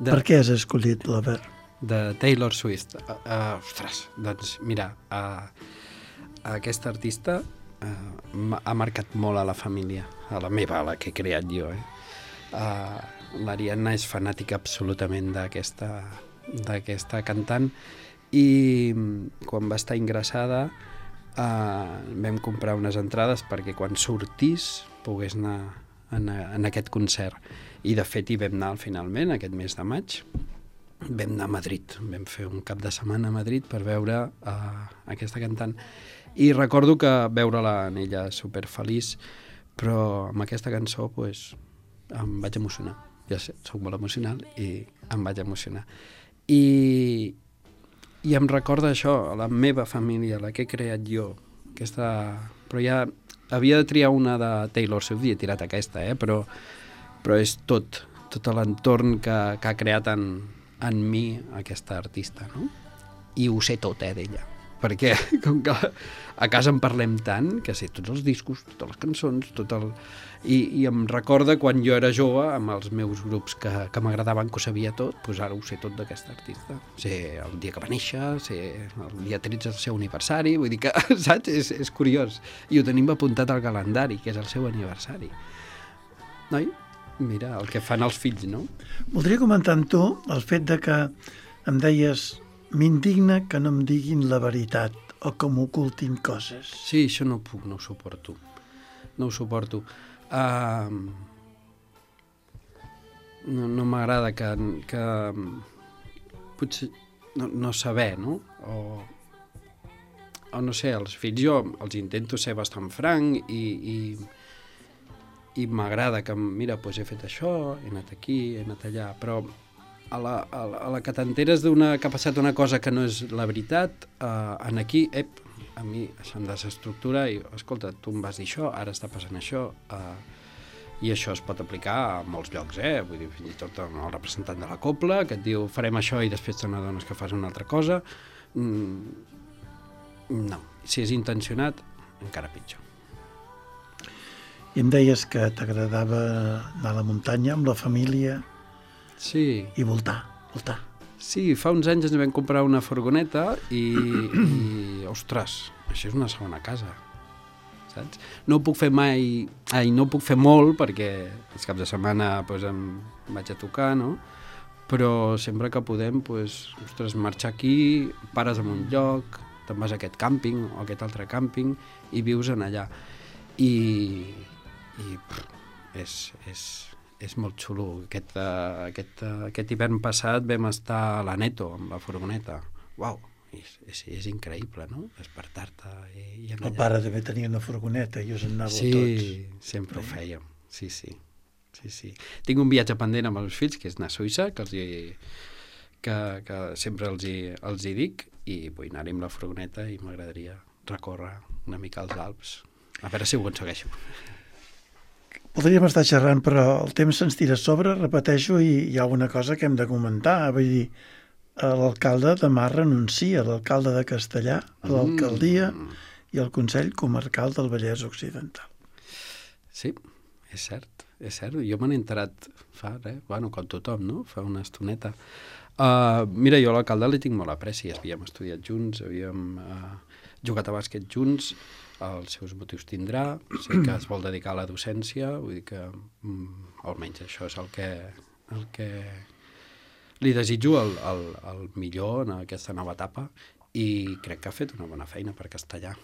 Per què has escollit l'Obert? De Taylor Swift. Ostres, doncs mira, aquesta artista ha marcat molt a la família, a la meva, a la que he creat jo. L'Ariadna és fanàtica absolutament d'aquesta cantant i quan va estar ingressada vam comprar unes entrades perquè quan sortís pogués anar en aquest concert. I de fet hi vam anar finalment aquest mes de maig. Vam anar a Madrid, vam fer un cap de setmana a Madrid per veure aquesta cantant i recordo que veure-la en ella superfeliç, però amb aquesta cançó pues, em vaig emocionar. Ja sé, soc molt emocional i em vaig emocionar. I em recorda això, a la meva família, la que he creat jo, però ja havia de triar una de Taylor Swift i he tirat aquesta, però és tot l'entorn que ha creat en mi aquesta artista, no? I ho sé tot, d'ella. Perquè, com que a casa en parlem tant, que sé tots els discos, totes les cançons, I em recorda quan jo era jove, amb els meus grups que m'agradaven, que ho sabia tot, doncs ara ho sé tot d'aquesta artista. Sé el dia que va néixer, sé el dia 13 del seu aniversari, vull dir que, saps? És curiós. I ho tenim apuntat al calendari, que és el seu aniversari. Noi? Mira, el que fan els fills, no? Voldria comentar amb tu el fet de que em deies m'indigna que no em diguin la veritat o que m'ocultin coses. Sí, això no puc, no ho suporto. No ho suporto. No m'agrada que potser no saber, no? O no sé, els fills jo els intento ser bastant franc i m'agrada que, mira, doncs he fet això, he anat aquí, he anat allà, però a la que t'enteres que ha passat una cosa que no és la veritat, en aquí, a mi això em desestructura i, escolta, tu em vas dir això, ara està passant això, i això es pot aplicar a molts llocs, vull dir, fins i tot el representant de la cobla, que et diu, farem això i després te n'adones que fas una altra cosa. No, si és intencionat, encara pitjor. I em deies que t'agradava anar a la muntanya amb la família i voltar. Sí, fa uns anys ens vam comprar una furgoneta i ostres, això és una segona casa, saps? No ho puc fer no ho puc fer molt perquè els caps de setmana em vaig a tocar, no? però sempre que podem, doncs, ostres, marxar aquí, pares en un lloc, te'n vas a aquest càmping o a aquest altre càmping i vius en allà. I és molt xulo. Aquest hivern passat vam estar a l'Aneto amb la furgoneta. Uau, és increïble, no? Despertar-te i anar allà. El pare també tenia una furgoneta i us en anàveu Sí, tots. sempre ho fèiem. Sí. Tinc un viatge pendent amb els fills, que és anar a Suïssa, que sempre els hi dic, i vull anar-hi amb la furgoneta i m'agradaria recórrer una mica als Alps. A veure si ho aconsegueixo. Podríem estar xerrant, però el temps se'ns tira a sobre, repeteixo, i hi ha una cosa que hem de comentar. Vull dir, l'alcalde demà renuncia, l'alcalde de Castellar, a l'alcaldia i al Consell Comarcal del Vallès Occidental. Sí, és cert. Jo me n'he enterat fa, com tothom, no? Fa una estoneta. Mira, jo a l'alcalde li tinc molt apreci. Havíem estudiat junts, havíem jugat a bàsquet junts, els seus motius tindrà, sé que es vol dedicar a la docència, vull dir que almenys això és el que li desitjo el millor en aquesta nova etapa i crec que ha fet una bona feina per Castellar.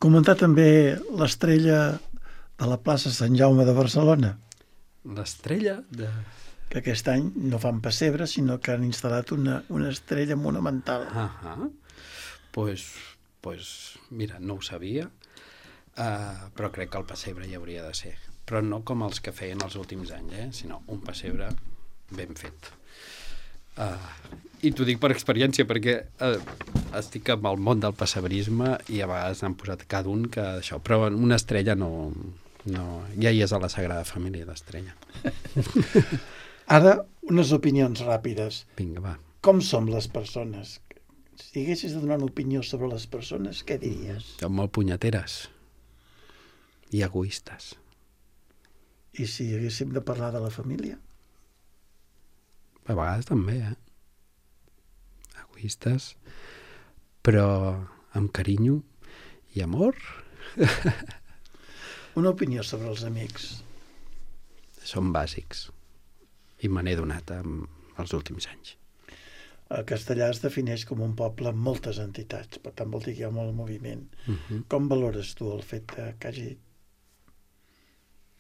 Comentar també l'estrella de la plaça Sant Jaume de Barcelona. L'estrella de... Que aquest any no fan pessebre, sinó que han instal·lat una estrella monumental. Pues, mira, no ho sabia, però crec que el pessebre hi hauria de ser. Però no com els que feien els últims anys, sinó un pessebre ben fet. I t'ho dic per experiència, perquè estic amb el món del pessebrisme i a vegades n'han posat cada un que això, però una estrella no ja hi és a la Sagrada Família, l'estrella. Ara, unes opinions ràpides. Vinga, va. Com som les persones? Si haguessis de donar una opinió sobre les persones, què diries? Som molt punyeteres i egoistes. I si haguéssim de parlar de la família? A vegades també, Egoistes, però amb carinyo i amor. Una opinió sobre els amics? Són bàsics i me n'he donat els últims anys. A Castellar es defineix com un poble amb moltes entitats, per tant vol dir que hi ha molt moviment. Com valores tu el fet que hi hagi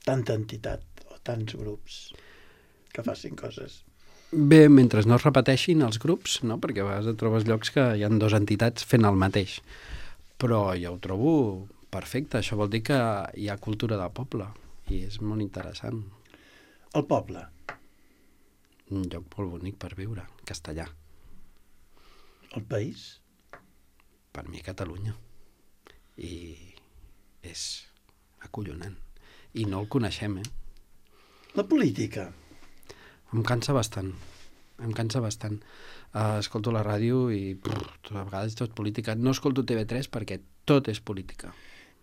tanta entitat o tants grups que facin coses? Bé, mentre no es repeteixin els grups, no? Perquè a vegades et trobes llocs que hi ha dues entitats fent el mateix. Però jo ho trobo perfecte. Això vol dir que hi ha cultura del poble i és molt interessant. El poble? Un lloc molt bonic per viure, Castellar. El país? Per mi, Catalunya. I és acollonant. I no el coneixem, La política? Em cansa bastant. Escolto la ràdio i a vegades tot política. No escolto TV3 perquè tot és política.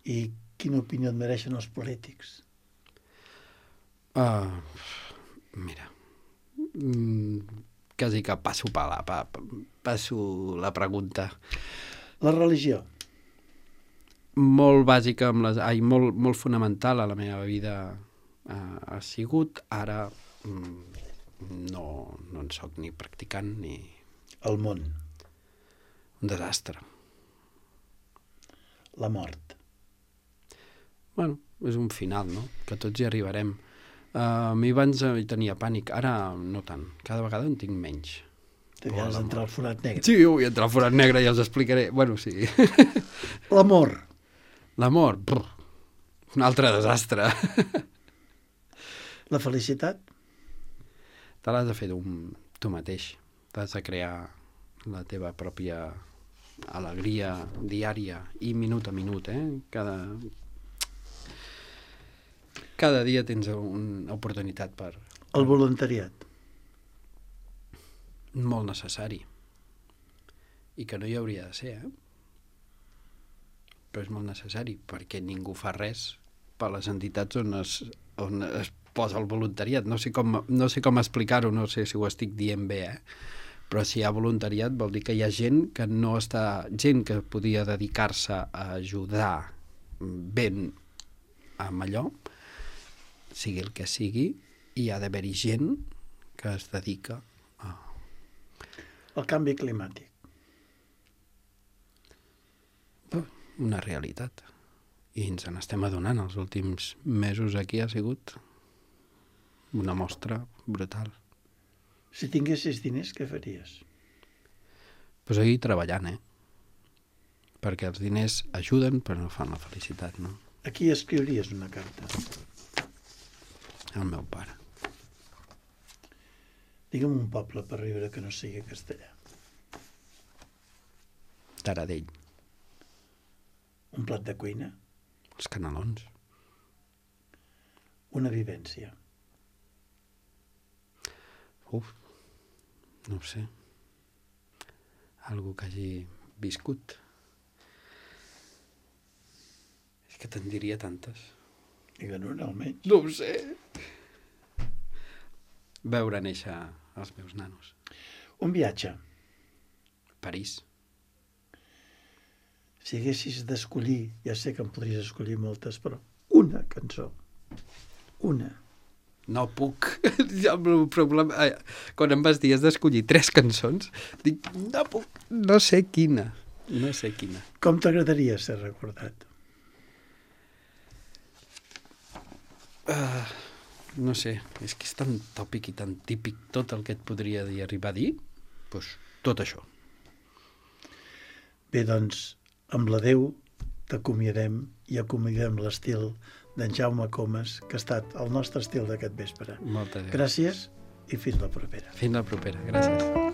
I quina opinió et mereixen els polítics? Mira, quasi que passo la pregunta. La religió? Molt bàsica, molt fonamental a la meva vida ha sigut. Ara no en soc ni practicant ni... El món? Un desastre. La mort? Bueno, és un final, no? Que tots hi arribarem. A mi abans hi tenia pànic, ara no tant. Cada vegada en tinc menys. T'havies d'entrar al forat negre. Sí, vull entrar al forat negre i els explicaré. Bueno, sí. L'amor? L'amor? Un altre desastre. La felicitat? Te l'has de fer tu mateix. T'has de crear la teva pròpia alegria diària i minut a minut, Cada dia tens una oportunitat per... El voluntariat? Molt necessari. I que no hi hauria de ser, Però és molt necessari, perquè ningú fa res per les entitats on es posa el voluntariat. No sé com explicar-ho, no sé si ho estic dient bé, Però si hi ha voluntariat vol dir que hi ha gent que podia dedicar-se a ajudar ben amb allò, sigui el que sigui, i ha d'haver-hi gent que es dedica a... El canvi climàtic. Una realitat. I ens n'estem adonant. Els últims mesos aquí ha sigut una mostra brutal. Si tinguessis diners, què faries? Pues ahir treballant, perquè els diners ajuden però no fan la felicitat, no? A qui escriuries una carta? Al meu pare. Digue'm un poble per riure que no sigui castellà. Taradell. Un plat de cuina? Els canelons. Una vivència? No ho sé. Algú que hagi viscut. És que te'n diria tantes. Digue'n una, almenys. No ho sé. Veure néixer els meus nanos. Un viatge. París. Si haguessis d'escollir, ja sé que en podries escollir moltes, però una cançó. Una. No puc. El meu problema... Quan em vas dir has d'escollir 3 cançons, dic, no puc. No sé quina. No sé quina. Com t'agradaria ser recordat? No sé, és que és tan tòpic i tan típic tot el que et podria dir, arribar a dir, doncs tot això. Bé, doncs, amb l'adeu t'acomiadem i acomiadem l'estil d'en Jaume Comas, que ha estat el nostre estil d'aquest vespre. Moltes gràcies. Gràcies i fins la propera. Fins la propera, gràcies.